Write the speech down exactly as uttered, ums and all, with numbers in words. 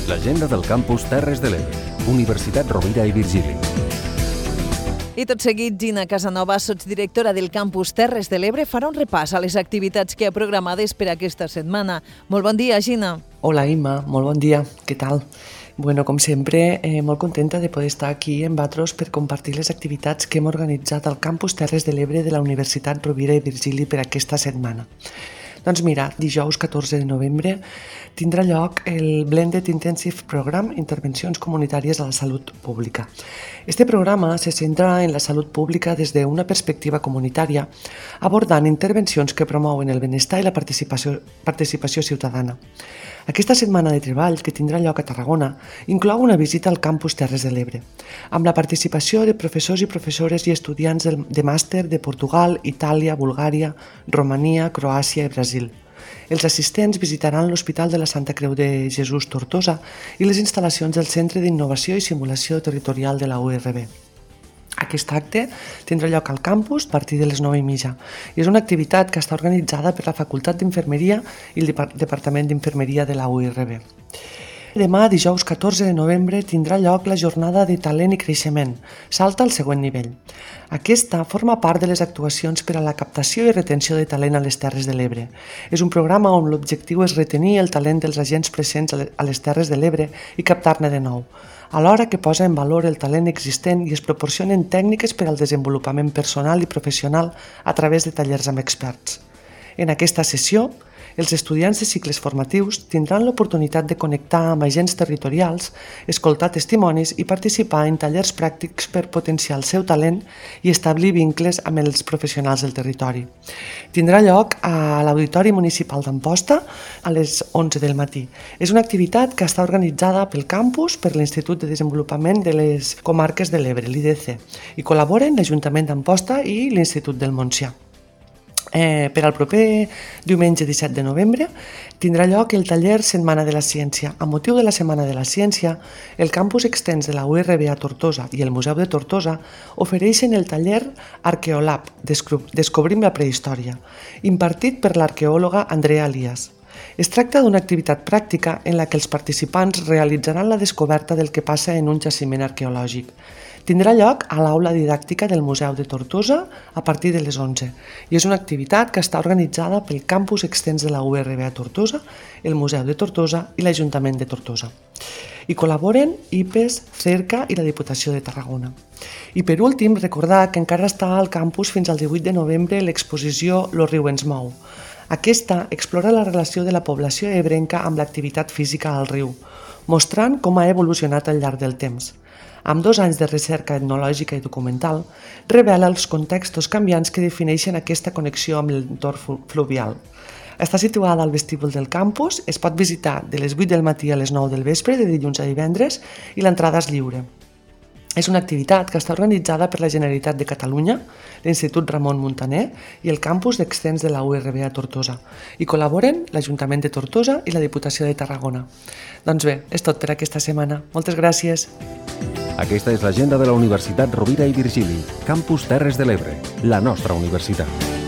L'agenda del campus Terres de l'Ebre, Universitat Rovira i Virgili. I tot seguit, Gina Casanova, sotsdirectora del campus Terres de l'Ebre, farà un repàs a les activitats que ha programades per aquesta setmana. Molt bon dia, Gina. Hola, Imma. Molt bon dia. Què tal? Bueno, com sempre, eh, molt contenta de poder estar aquí en Batros per compartir les activitats que hem organitzat al campus Terres de l'Ebre de la Universitat Rovira i Virgili per aquesta setmana. Doncs mira, dijous catorze de novembre tindrà lloc el Blended Intensive Program Intervencions Comunitàries a la Salut Pública. Este programa se centra en la salut pública des d'una perspectiva comunitària, abordant intervencions que promouen el benestar i la participació, participació ciutadana. Aquesta setmana de treball, que tindrà lloc a Tarragona, inclou una visita al campus Terres de l'Ebre, amb la participació de professors i professores i estudiants de màster de Portugal, Itàlia, Bulgària, Romania, Croàcia i Brasil. Els assistents visitaran l'Hospital de la Santa Creu de Jesús Tortosa i les instal·lacions del Centre d'Innovació i Simulació Territorial de la U R B. Aquest acte tindrà lloc al campus a partir de les nou i mitja i és una activitat que està organitzada per la Facultat d'Infermeria i el Departament d'Infermeria de la U R B. Demà, dijous catorze de novembre, tindrà lloc la jornada de talent i creixement. Salta al següent nivell. Aquesta forma part de les actuacions per a la captació i retenció de talent a les Terres de l'Ebre. És un programa on l'objectiu és retenir el talent dels agents presents a les Terres de l'Ebre i captar-ne de nou, alhora que posa en valor el talent existent i es proporcionen tècniques per al desenvolupament personal i professional a través de tallers amb experts. En aquesta sessió, els estudiants de cicles formatius tindran l'oportunitat de connectar amb agents territorials, escoltar testimonis i participar en tallers pràctics per potenciar el seu talent i establir vincles amb els professionals del territori. Tindrà lloc a l'Auditori Municipal d'Amposta a les onze del matí. És una activitat que està organitzada pel campus per l'Institut de Desenvolupament de les Comarques de l'Ebre, l'I D C, i col·laboren l'Ajuntament d'Amposta i l'Institut del Montsià. Eh, per al proper diumenge disset de novembre tindrà lloc el taller Setmana de la Ciència. A motiu de la Setmana de la Ciència, el campus extens de la U R B a Tortosa i el Museu de Tortosa ofereixen el taller Arqueolab, Descobrim la prehistòria, impartit per l'arqueòloga Andrea Elias. Es tracta d'una activitat pràctica en la que els participants realitzaran la descoberta del que passa en un jaciment arqueològic. Tindrà lloc a l'aula didàctica del Museu de Tortosa a partir de les onze i és una activitat que està organitzada pel campus extens de la U R B a Tortosa, el Museu de Tortosa i l'Ajuntament de Tortosa. Hi col·laboren I P E S, Cerca i la Diputació de Tarragona. I per últim, recordar que encara està al campus fins al divuit de novembre l'exposició Lo riu ens mou. Aquesta explora la relació de la població ebrenca amb l'activitat física al riu, mostrant com ha evolucionat al llarg del temps. Amb dos anys de recerca etnològica i documental, revela els contextos canviants que defineixen aquesta connexió amb l'entorn fluvial. Està situada al vestíbul del campus, es pot visitar de les vuit del matí a les nou del vespre, de dilluns a divendres, i l'entrada és lliure. És una activitat que està organitzada per la Generalitat de Catalunya, l'Institut Ramon Muntaner i el campus extens de la U R B a Tortosa. Hi col·laboren l'Ajuntament de Tortosa i la Diputació de Tarragona. Doncs bé, és tot per aquesta setmana. Moltes gràcies. Aquesta és l'agenda de la Universitat Rovira i Virgili, campus Terres de l'Ebre, la nostra universitat.